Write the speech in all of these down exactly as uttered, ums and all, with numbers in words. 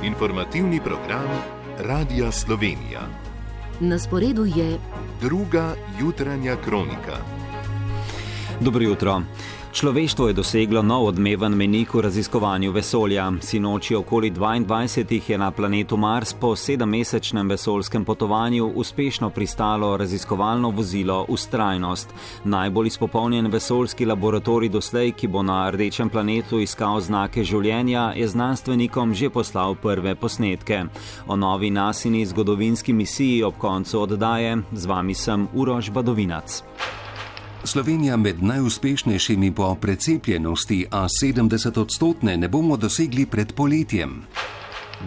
Informativni program Radia Slovenija. Na sporedu je druga jutranja kronika. Dobro jutro. Človeštvo je doseglo nov odmeven mejnik v raziskovanju vesolja. Sinoči okoli dvaindvajsetih je na planetu Mars po sedemmesečnem vesoljskem potovanju uspešno pristalo raziskovalno vozilo Vztrajnost. Najbolj izpopolnjen vesoljski laboratorij doslej, ki bo na rdečem planetu iskal znake življenja, je znanstvenikom že poslal prve posnetke. O novi nasini zgodovinski misiji ob koncu oddaje. Z vami sem Uroš Badovinac. Slovenija med najuspešnejšimi po precepljenosti, a sedemdeset odstotne ne bomo dosegli pred poletjem.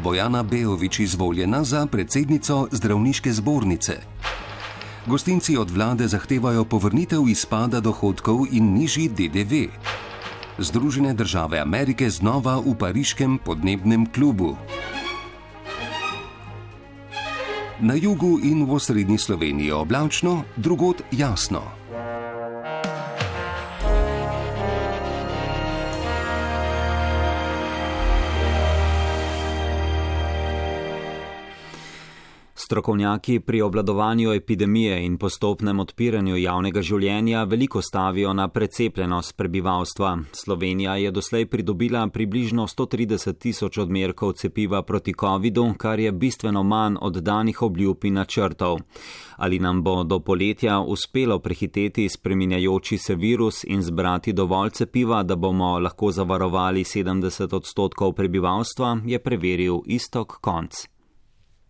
Bojana Beović izvoljena za predsednico zdravniške zbornice. Gostinci od vlade zahtevajo povrnitev izpada dohodkov in nižji D D V. Združene države Amerike znova v pariškem podnebnem klubu. Na jugu in v osrednji Sloveniji oblačno, drugod jasno. Strokovnjaki pri obvladovanju epidemije in postopnem odpiranju javnega življenja veliko stavijo na precepljenost prebivalstva. Slovenija je doslej pridobila približno sto trideset tisoč odmerkov cepiva proti covidu, kar je bistveno manj od danih obljub in načrtov. Ali nam bo do poletja uspelo prehiteti spreminjajoči se virus in zbrati dovolj cepiva, da bomo lahko zavarovali sedemdeset odstotkov prebivalstva, je preveril Iztok Konc.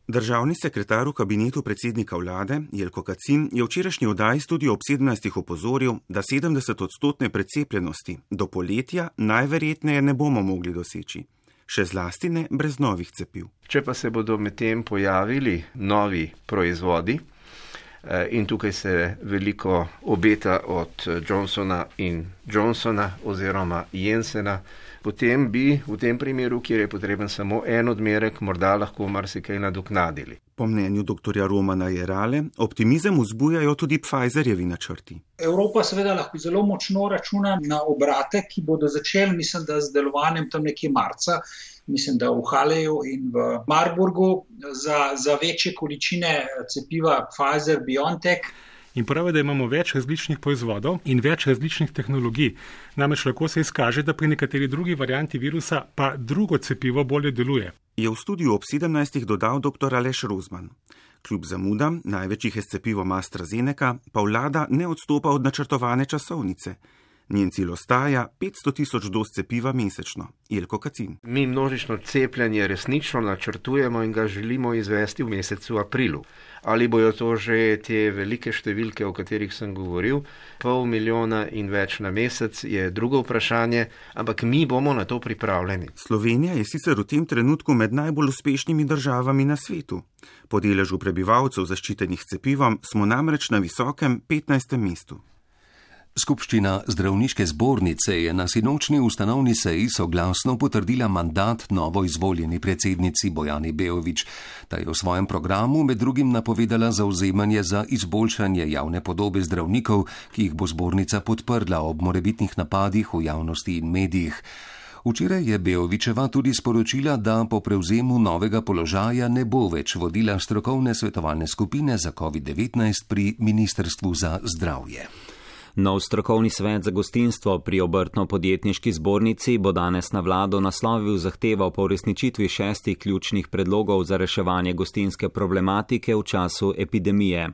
Državni sekretar v kabinetu predsednika vlade Jelko Kacin je včerajšnji oddaji Studio ob sedemnajstih opozoril, da sedemdeset odstotne precepljenosti do poletja najverjetneje ne bomo mogli doseči. Še zlasti ne brez novih cepiv. Če pa se bodo medtem pojavili novi proizvodi, in tukaj se veliko obeta od Johnsona in Johnsona oziroma Jensena, potem bi v tem primeru, kjer je potreben samo en odmerek, morda lahko marsikaj nadoknadili. Po mnenju doktorja Romana Jerale, optimizem vzbujajo tudi Pfizerjevi načrti. Evropa seveda lahko zelo močno računa na obrate, ki bodo začeli, mislim, da z delovanjem tam nekje marca, mislim, da v Haleju in v Marburgu za, za večje količine cepiva Pfizer-BioNTech. In pravi, da imamo več različnih proizvodov in več različnih tehnologij. Namreč lahko se izkaže, da pri nekateri drugi varianti virusa pa drugo cepivo bolje deluje. Je v studiu ob sedemnajstih dodal dr. Aleš Rozman. Kljub zamudam, največjih je s cepivom AstraZeneca, pa vlada ne odstopa od načrtovane časovnice. Njen cilj ostaja petsto tisoč doz cepiva mesečno. Jelko Kacin. Mi množično cepljenje resnično načrtujemo in ga želimo izvesti v mesecu aprilu. Ali bojo to že te velike številke, o katerih sem govoril, pol milijona in več na mesec, je drugo vprašanje, ampak mi bomo na to pripravljeni. Slovenija je sicer v tem trenutku med najbolj uspešnimi državami na svetu. Po deležu prebivalcev zaščitenih s cepivom smo namreč na visokem petnajstem mestu. Skupščina zdravniške zbornice je na sinočni ustanovni seji soglasno potrdila mandat novo izvoljeni predsednici Bojani Beović. Ta je v svojem programu med drugim napovedala zavzemanje za izboljšanje javne podobe zdravnikov, ki jih bo zbornica podprla ob morebitnih napadih v javnosti in medijih. Včeraj je Beovićeva tudi sporočila, da po prevzemu novega položaja ne bo več vodila strokovne svetovalne skupine za covid devetnajst pri Ministrstvu za zdravje. Nov strokovni svet za gostinstvo pri Obrtno-podjetniški zbornici bo danes na vlado naslovil zahtevo po uresničitvi šestih ključnih predlogov za reševanje gostinske problematike v času epidemije.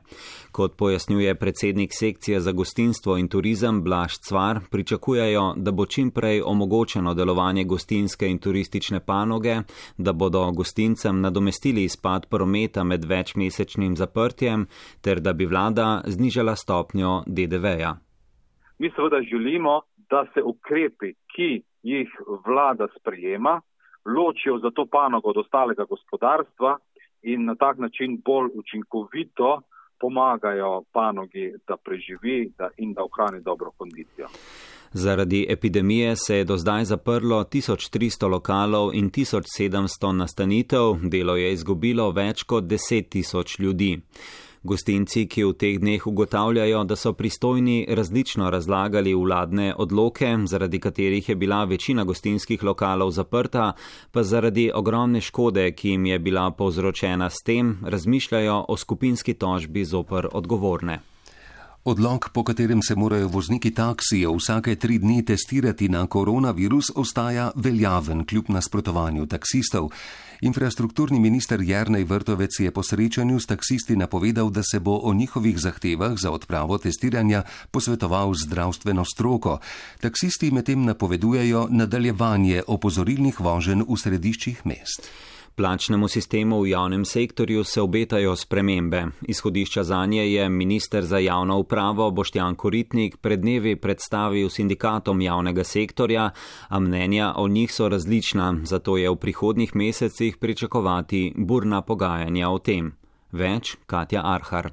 Kot pojasnjuje predsednik sekcije za gostinstvo in turizem Blaž Cvar, pričakujejo, da bo čim prej omogočeno delovanje gostinske in turistične panoge, da bodo gostincem nadomestili izpad prometa med večmesečnim zaprtjem ter da bi vlada znižala stopnjo D D V-ja. Mi seveda želimo, da se ukrepi, ki jih vlada sprejema, ločijo za to panogo od ostalega gospodarstva in na tak način bolj učinkovito pomagajo panogi, da preživi in da ohrani dobro kondicijo. Zaradi epidemije se je do zdaj zaprlo tisoč tristo lokalov in tisoč sedemsto nastanitev, delo je izgubilo več kot deset tisoč ljudi. Gostinci, ki v teh dneh ugotavljajo, da so pristojni različno razlagali vladne odloke, zaradi katerih je bila večina gostinskih lokalov zaprta, pa zaradi ogromne škode, ki jim je bila povzročena s tem, razmišljajo o skupinski tožbi zoper odgovorne. Odlok, po katerem se morajo vozniki taksijev vsake tri dni testirati na koronavirus, ostaja veljaven kljub nasprotovanju taksistov. Infrastrukturni minister Jernej Vrtovec je po srečanju s taksisti napovedal, da se bo o njihovih zahtevah za odpravo testiranja posvetoval z zdravstveno stroko. Taksisti medtem napovedujejo nadaljevanje opozorilnih voženj v središčih mest. Plačnemu sistemu v javnem sektorju se obetajo spremembe. Izhodišča zanje je minister za javno upravo Boštjan Koritnik pred dnevi predstavil sindikatom javnega sektorja, a mnenja o njih so različna, zato je v prihodnjih mesecih pričakovati burna pogajanja o tem. Več Katja Arhar.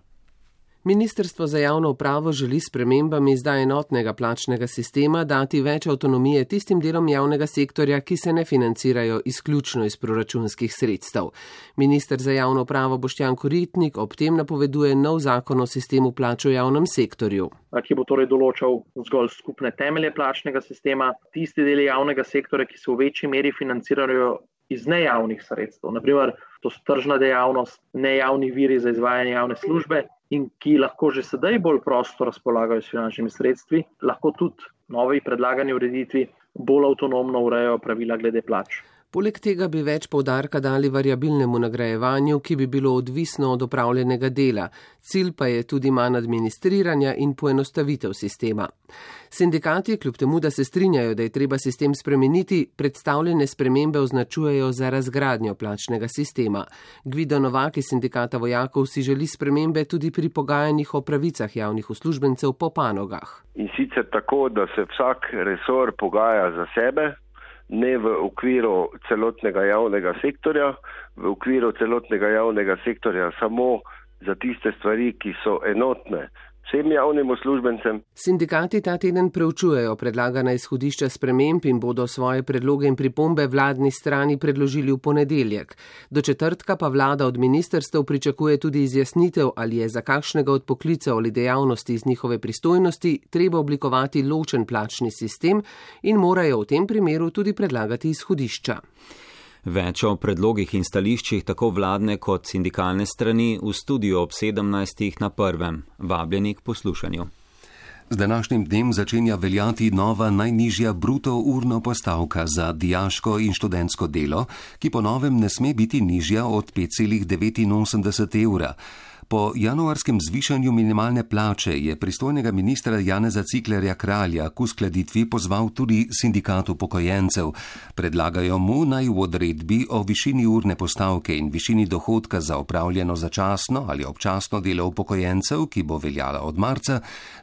Ministrstvo za javno upravo želi s spremembami zdaj enotnega plačnega sistema dati več avtonomije tistim delom javnega sektorja, ki se ne financirajo izključno iz proračunskih sredstev. Minister za javno upravo Boštjan Koritnik ob tem napoveduje nov zakon o sistemu plač v javnem sektorju. Ki bo torej določal zgolj skupne temelje plačnega sistema, tisti deli javnega sektorja, ki se v večji meri financirajo iz nejavnih sredstev, naprimer to so tržna dejavnost, nejavni viri za izvajanje javne službe in ki lahko že sedaj bolj prosto razpolagajo s finančnimi sredstvi, lahko tudi novi predlagani ureditvi bolj avtonomno urejajo pravila glede plač. Poleg tega bi več poudarka dali variabilnemu nagrajevanju, ki bi bilo odvisno od opravljenega dela. Cilj pa je tudi manj administriranja in poenostavitev sistema. Sindikati, kljub temu, da se strinjajo, da je treba sistem spremeniti, predstavljene spremembe označujejo za razgradnjo plačnega sistema. Gvido Novak iz sindikata vojakov si želi spremembe tudi pri pogajanjih o pravicah javnih uslužbencev po panogah. In sicer tako, da se vsak resor pogaja za sebe, ne v okviru celotnega javnega sektorja, v okviru celotnega javnega sektorja samo za tiste stvari, ki so enotne vsem javnim uslužbencem. Sindikati ta teden preučujejo predlagana izhodišča sprememb in bodo svoje predloge in pripombe vladni strani predložili v ponedeljek. Do četrtka pa vlada od ministrstev pričakuje tudi izjasnitev, ali je za kakšnega od poklicev ali dejavnosti iz njihove pristojnosti treba oblikovati ločen plačni sistem in morajo v tem primeru tudi predlagati izhodišča. Več o predlogih in stališčih tako vladne kot sindikalne strani v studiu ob sedemnajstih na prvem. Vabljeni k poslušanju. Z današnjim dnem začenja veljati nova najnižja bruto urno postavka za dijaško in študentsko delo, ki po novem ne sme biti nižja od pet celih devetinosemdeset evra. Po januarskem zvišanju minimalne plače je pristojnega ministra Janeza Ciglerja Kralja k uskladitvi pozval tudi sindikat upokojencev. Predlagajo mu naj v odredbi o višini urne postavke in višini dohodka za opravljeno začasno ali občasno delo upokojencev, ki bo veljala od marca,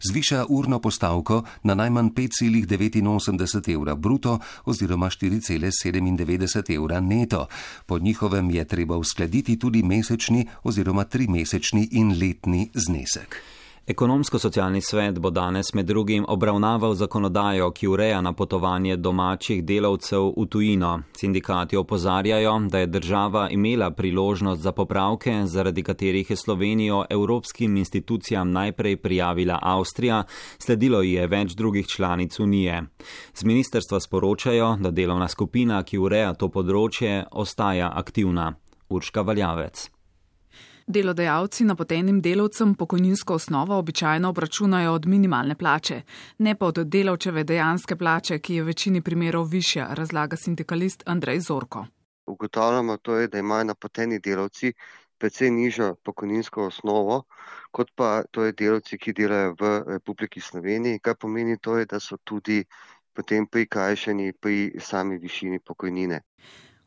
zviša urno postavko na najmanj pet celih devetinosemdeset evra bruto oziroma štiri celih sedemindevetdeset evra neto. Po njihovem je treba uskladiti tudi mesečni oziroma trimesečni in letni znesek. Ekonomsko-socialni svet bo danes med drugim obravnaval zakonodajo, ki ureja napotovanje domačih delavcev v tujino. Sindikati opozarjajo, da je država imela priložnost za popravke, zaradi katerih je Slovenijo evropskim institucijam najprej prijavila Avstrija, sledilo je več drugih članic Unije. Z ministrstva sporočajo, da delovna skupina, ki ureja to področje, ostaja aktivna. Urška Valjavec. Delodajalci napotenim delavcem pokojninsko osnovo običajno obračunajo od minimalne plače, ne pa od delavčeve dejanske plače, ki je v večini primerov višja, razlaga sindikalist Andrej Zorko. Ugotavljamo to je, da imajo napoteni delavci precej nižjo pokojninsko osnovo, kot pa to je delavci, ki delajo v Republiki Sloveniji, kar pomeni to je, da so tudi potem prikrajšani pri sami višini pokojnine.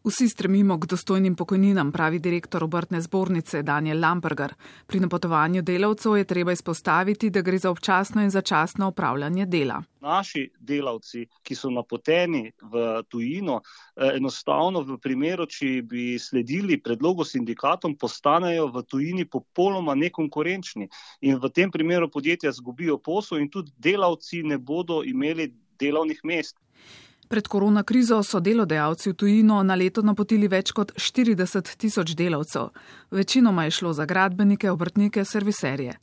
Vsi stremimo k dostojnim pokojninam, pravi direktor obrtne zbornice Daniel Lamperger. Pri napotovanju delavcev je treba izpostaviti, da gre za občasno in začasno opravljanje dela. Naši delavci, ki so napoteni v tujino, enostavno v primeru, če bi sledili predlogu sindikatom, postanejo v tujini popolnoma nekonkurenčni in v tem primeru podjetja zgubijo posel in tudi delavci ne bodo imeli delovnih mest. Pred koronakrizo so delodajalci v tujino na leto napotili več kot štirideset tisoč delavcev. Večinoma je šlo za gradbenike, obrtnike, serviserje.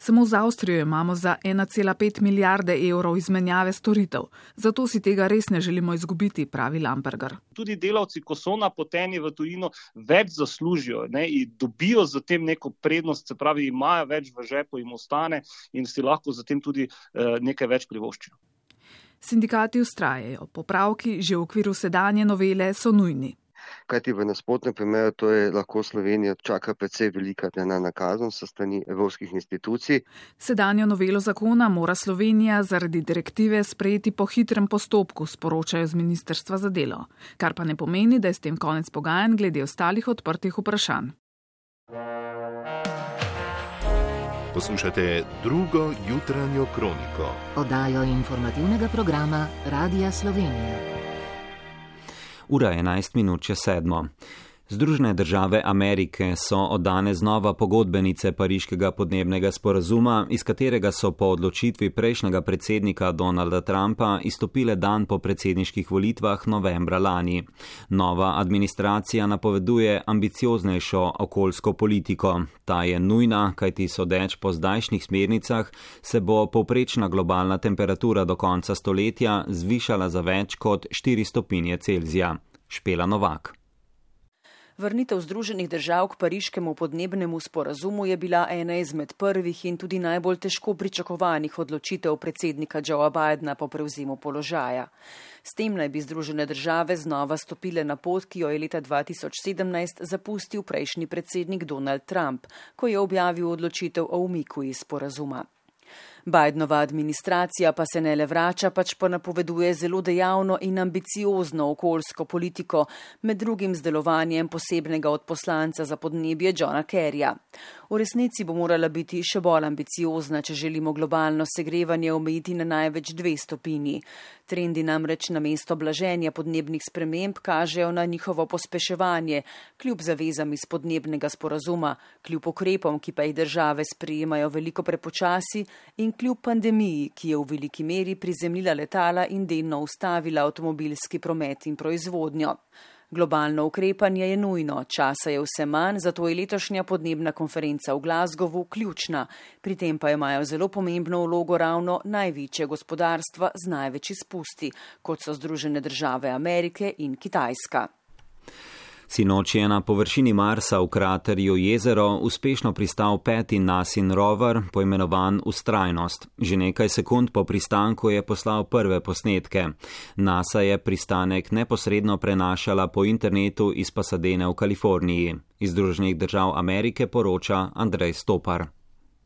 Samo z Avstrijo imamo za ena cela pet milijarde evrov izmenjave storitev. Zato si tega res ne želimo izgubiti, pravi Lamperger. Tudi delavci, ko so napoteni v tujino, več zaslužijo, ne, in dobijo za tem neko prednost, se pravi, imajo več v žepu, jim ostane in si lahko za tem tudi eh, nekaj več privoščijo. Sindikati vztrajajo, popravki že v okviru sedanje novele so nujni. Kajti v nasprotnem primeru to je lahko Slovenijo čaka precej velika denarna kazen sa strani evropskih institucij. Sedanjo novelo zakona mora Slovenija zaradi direktive sprejeti po hitrem postopku, sporočajo z Ministrstva za delo, kar pa ne pomeni, da je s tem konec pogajanj glede ostalih odprtih vprašanj. Poslušate drugo jutranjo kroniko. Oddajo informativnega programa Radia Slovenija. Ura enajst minut čez sedmo. Združene države Amerike so od danes znova pogodbenice Pariškega podnebnega sporazuma, iz katerega so po odločitvi prejšnjega predsednika Donalda Trumpa izstopile dan po predsedniških volitvah novembra lani. Nova administracija napoveduje ambicioznejšo okoljsko politiko. Ta je nujna, kajti sodeč po zdajšnjih smernicah se bo povprečna globalna temperatura do konca stoletja zvišala za več kot štiri stopinje Celzija. Špela Novak. Vrnitev Združenih držav k Pariškemu podnebnemu sporazumu je bila ena izmed prvih in tudi najbolj težko pričakovanih odločitev predsednika Joea Bidena po prevzemu položaja. S tem naj bi Združene države znova stopile na pot, ki jo je leta dva tisoč sedemnajst zapustil prejšnji predsednik Donald Trump, ko je objavil odločitev o umiku iz sporazuma. Bidenova administracija pa se ne le vrača, pač pa napoveduje zelo dejavno in ambiciozno okoljsko politiko, med drugim z delovanjem posebnega odposlanca za podnebje Johna Kerryja. V resnici bo morala biti še bolj ambiciozna, če želimo globalno segrevanje omejiti na največ dve stopinji. Trendi namreč namesto blaženja podnebnih sprememb kažejo na njihovo pospeševanje, kljub zavezam iz podnebnega sporazuma, kljub ukrepom, ki pa jih države sprejemajo veliko prepočasi in kljub pandemiji, ki je v veliki meri prizemljila letala in delno ustavila avtomobilski promet in proizvodnjo. Globalno ukrepanje je nujno, časa je vse manj, zato je letošnja podnebna konferenca v Glasgowu ključna. Pri tem pa imajo zelo pomembno vlogo ravno največje gospodarstva z največ izpusti, kot so Združene države Amerike in Kitajska. Sinoči je na površini Marsa v kraterju Jezero uspešno pristal peti NASIN rover, poimenovan Vztrajnost. Že nekaj sekund po pristanku je poslal prve posnetke. NASA je pristanek neposredno prenašala po internetu iz Pasadene v Kaliforniji. Iz Združenih držav Amerike poroča Andrej Stopar.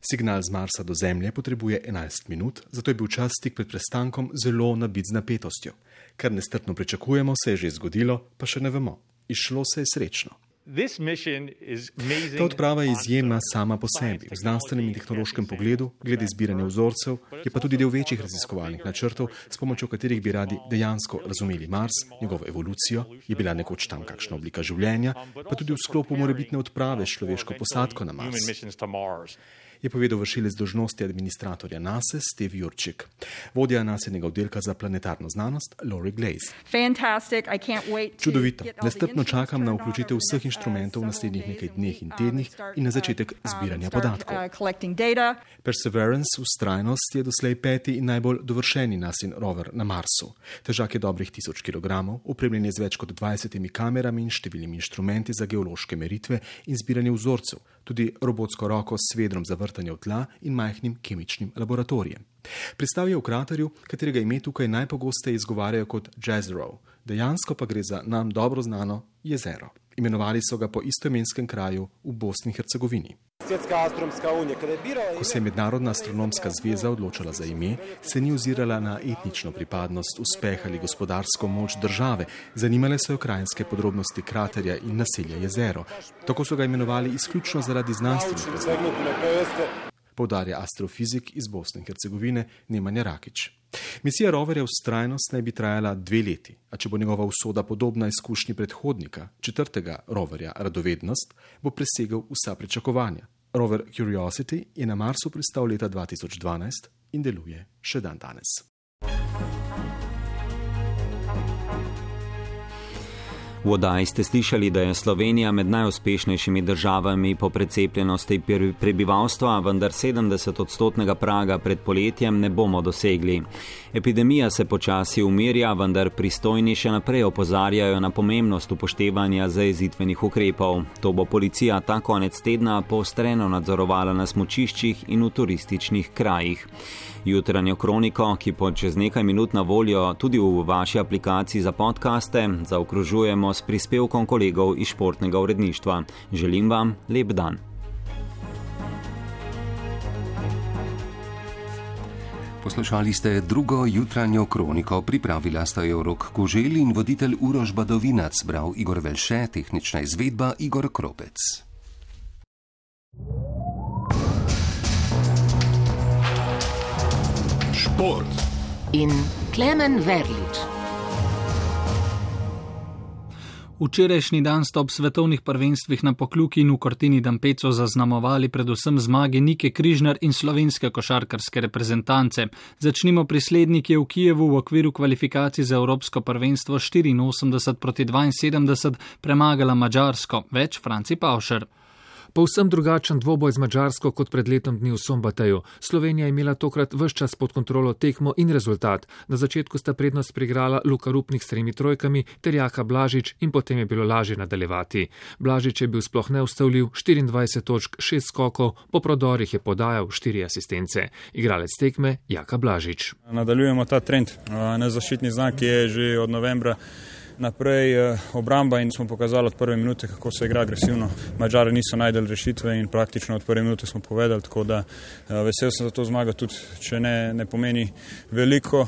Signal z Marsa do Zemlje potrebuje enajst minut, zato je bil čas tik pred prestankom zelo nabit z napetostjo. Kar nestrpno pričakujemo, se je že zgodilo, pa še ne vemo. Izšlo se je srečno. Ta odprava je izjemna sama po sebi, v znanstvenem in tehnološkem pogledu, glede zbiranja vzorcev, je pa tudi del večjih raziskovalnih načrtov, s pomočjo katerih bi radi dejansko razumeli Mars, njegovo evolucijo, je bila nekoč tam kakšna oblika življenja, pa tudi v sklopu morebitne odprave s človeško posadko na Mars. Je povedal vršilec dolžnosti administratorja NASA Steve Jurčik. Vodja NASINega oddelka za planetarno znanost Lori Glaze. Čudovito. Nestrpno čakam na vključitev vseh inštrumentov v naslednjih nekaj dneh in tednih in na začetek zbiranja podatkov. Perseverance, Vztrajnost, je doslej peti in najbolj dovršeni NASIN rover na Marsu. Težak je dobrih tisoč kilogramov, opremljen je z več kot dvajsetimi kamerami in številnimi inštrumenti za geološke meritve in zbiranje vzorcev, tudi robotsko roko s svedrom za vrtanje v tla in majhnim kemičnim laboratorijem. Pristal je v kraterju, katerega ime tukaj najpogosteje izgovarjajo kot Jezero, dejansko pa gre za nam dobro znano jezero. Imenovali so ga po istoimenskem kraju v Bosni in Hercegovini. Ko se je Mednarodna astronomska zveza odločala za ime, se ni ozirala na etnično pripadnost, uspeh ali gospodarsko moč države, zanimale so jo krajinske podrobnosti kraterja in naselja jezero. Tako so ga imenovali izključno zaradi znanstvenih razlogov, poudarja astrofizik iz Bosne in Hercegovine Nemanja Rakić. Misija roverja Vztrajnost naj bi trajala dve leti, a če bo njegova usoda podobna izkušnji predhodnika, četrtega roverja Radovednost, bo presegel vsa pričakovanja. Rover Curiosity je na Marsu pristal leta dva tisoč dvanajst in deluje še dan danes. V oddaji ste slišali, da je Slovenija med najuspešnejšimi državami po precepljenosti prebivalstva, vendar sedemdeset odstotnega praga pred poletjem ne bomo dosegli. Epidemija se počasi umirja, vendar pristojni še naprej opozarjajo na pomembnost upoštevanja zajezitvenih ukrepov. To bo policija ta konec tedna poostreno nadzorovala na smučiščih in v turističnih krajih. Jutranjo kroniko, ki bo čez nekaj minut na voljo tudi v vaši aplikaciji za podcaste, zaokrožujemo s prispevkom kolegov iz športnega uredništva. Želim vam lep dan. Poslušali ste drugo jutranjo kroniko, pripravila sta jo Rok Koželj in voditelj Uroš Badovinac, bral Igor Velše, tehnična izvedba Igor Kropec. Šport in Klemen Verlič. Včerajšnji dan sta ob svetovnih prvenstvih na Pokljuki in v Cortini d'Ampezzo zaznamovali predvsem zmage Nike Križnar in slovenske košarkarske reprezentance. Začnimo pri slednji, ki je v Kijevu v okviru kvalifikacij za Evropsko prvenstvo štiriinosemdeset proti dvainsedemdeset premagala Madžarsko. Več Franci Pavšer. Povsem drugačen dvoboj z Madžarsko kot pred letom dni v Sombateju. Slovenija je imela tokrat ves čas pod kontrolo tekmo in rezultat. Na začetku sta prednost priigrala Luka Rupnik s tremi trojkami ter Jaka Blažič in potem je bilo lažje nadaljevati. Blažič je bil sploh neustavljiv, štiriindvajset točk, šest skokov, po prodorih je podajal štiri asistence. Igralec tekme Jaka Blažič. Nadaljujemo ta trend. Nezaščitni znak je že od novembra naprej obramba in smo pokazali od prve minute, kako se igra agresivno. Madžari niso najdeli rešitve in praktično od prve minute smo povedali, tako da vesel sem za to zmago, tudi če ne, ne pomeni veliko.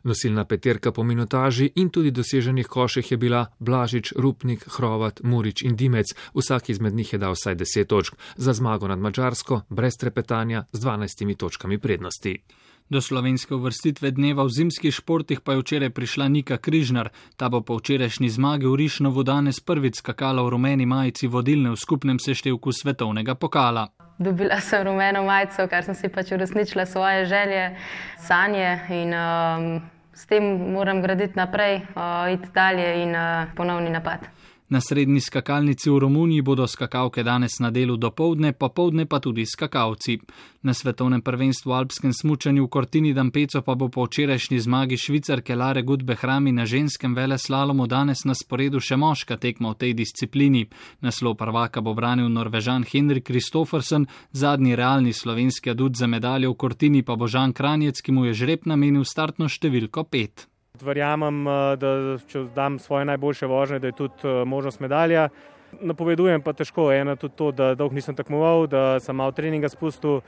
Nosilna peterka po minutaži in tudi doseženih koših je bila Blažič, Rupnik, Hrovat, Murič in Dimec. Vsak izmed njih je dal vsaj deset točk. Za zmago nad Madžarsko, brez trepetanja, z dvanajstimi točkami prednosti. Do slovenske uvrstitve dneva v zimskih športih pa je včeraj prišla Nika Križnar. Ta bo po včerajšnji zmagi v Rišnovu danes prvič skakala v rumeni majici vodilne v skupnem seštevku svetovnega pokala. Dobila sem rumeno majico, kar sem si pač uresničila svoje želje, sanje in um, s tem moram graditi naprej, uh, iti dalje in uh, ponovni napad. Na srednji skakalnici v Romuniji bodo skakalke danes na delu dopoldne, popoldne pa tudi skakalci. Na svetovnem prvenstvu v alpskem smučanju v Cortini d'Ampezzo pa bo po včerajšnji zmagi Švicarke Lare Gut-Behrami na ženskem veleslalomu danes na sporedu še moška tekma v tej disciplini. Naslov prvaka bo branil Norvežan Henrik Kristoffersen, zadnji realni slovenski adut za medaljo v Cortini pa bo Žan Kranjec, ki mu je žreb namenil startno številko pet. Verjamem, da če dam svoje najboljše vožnje, da je tudi možnost medalja. Napovedujem pa težko, eno tudi to, da dolgo nisem tekmoval, da sem malo treninga spustil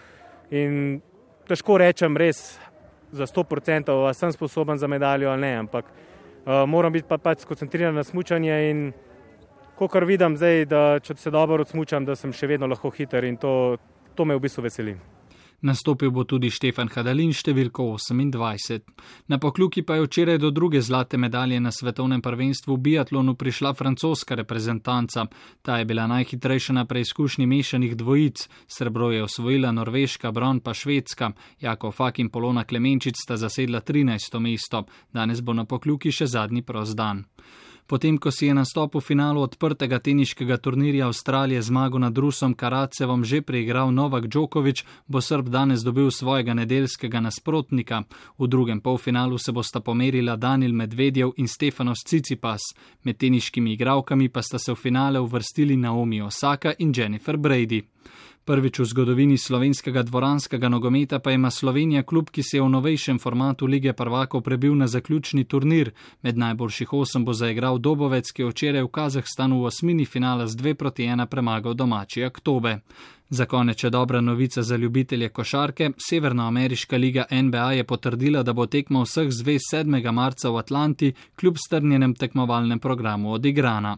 in težko rečem res za sto procentov, ali sem sposoben za medaljo ali ne, ampak uh, moram biti pa pač skoncentriran na smučanje in kakor vidim zdaj, da če se dobro odsmučam, da sem še vedno lahko hiter in to, to me v bistvu veseli. Nastopil bo tudi Štefan Hadalin številko osemindvajset. Na Pokljuki pa je včeraj do druge zlate medalje na svetovnem prvenstvu v biatlonu prišla francoska reprezentanca. Ta je bila najhitrejša na preizkušnji mešanih dvojic. Srebro je osvojila Norveška, bron pa Švedska. Jakov Fak in Polona Klemenčič sta zasedla trinajsto mesto. Danes bo na Pokljuki še zadnji prost dan. Potem, ko si je nastop v finalu odprtega teniškega turnirja Avstralije zmago nad Rusom Karatsevom že preigral Novak Djokovic, bo Srb danes dobil svojega nedeljskega nasprotnika. V drugem polfinalu se bosta pomerila Danil Medvedjev in Stefanos Tsitsipas. Med teniškimi igralkami pa sta se v finale uvrstili Naomi Osaka in Jennifer Brady. Prvič v zgodovini slovenskega dvoranskega nogometa pa ima Slovenija klub, ki se je v novejšem formatu Lige prvakov prebil na zaključni turnir. Med najboljših osem bo zaigral Dobovec, ki je včeraj v Kazahstanu v osmini finala z dve proti ena premagal domači Aktobe. Za konec še dobra novica za ljubitelje košarke. Severnoameriška liga N B A je potrdila, da bo tekma vseh zvez sedmega marca v Atlanti kljub strnjenem tekmovalnem programu odigrana.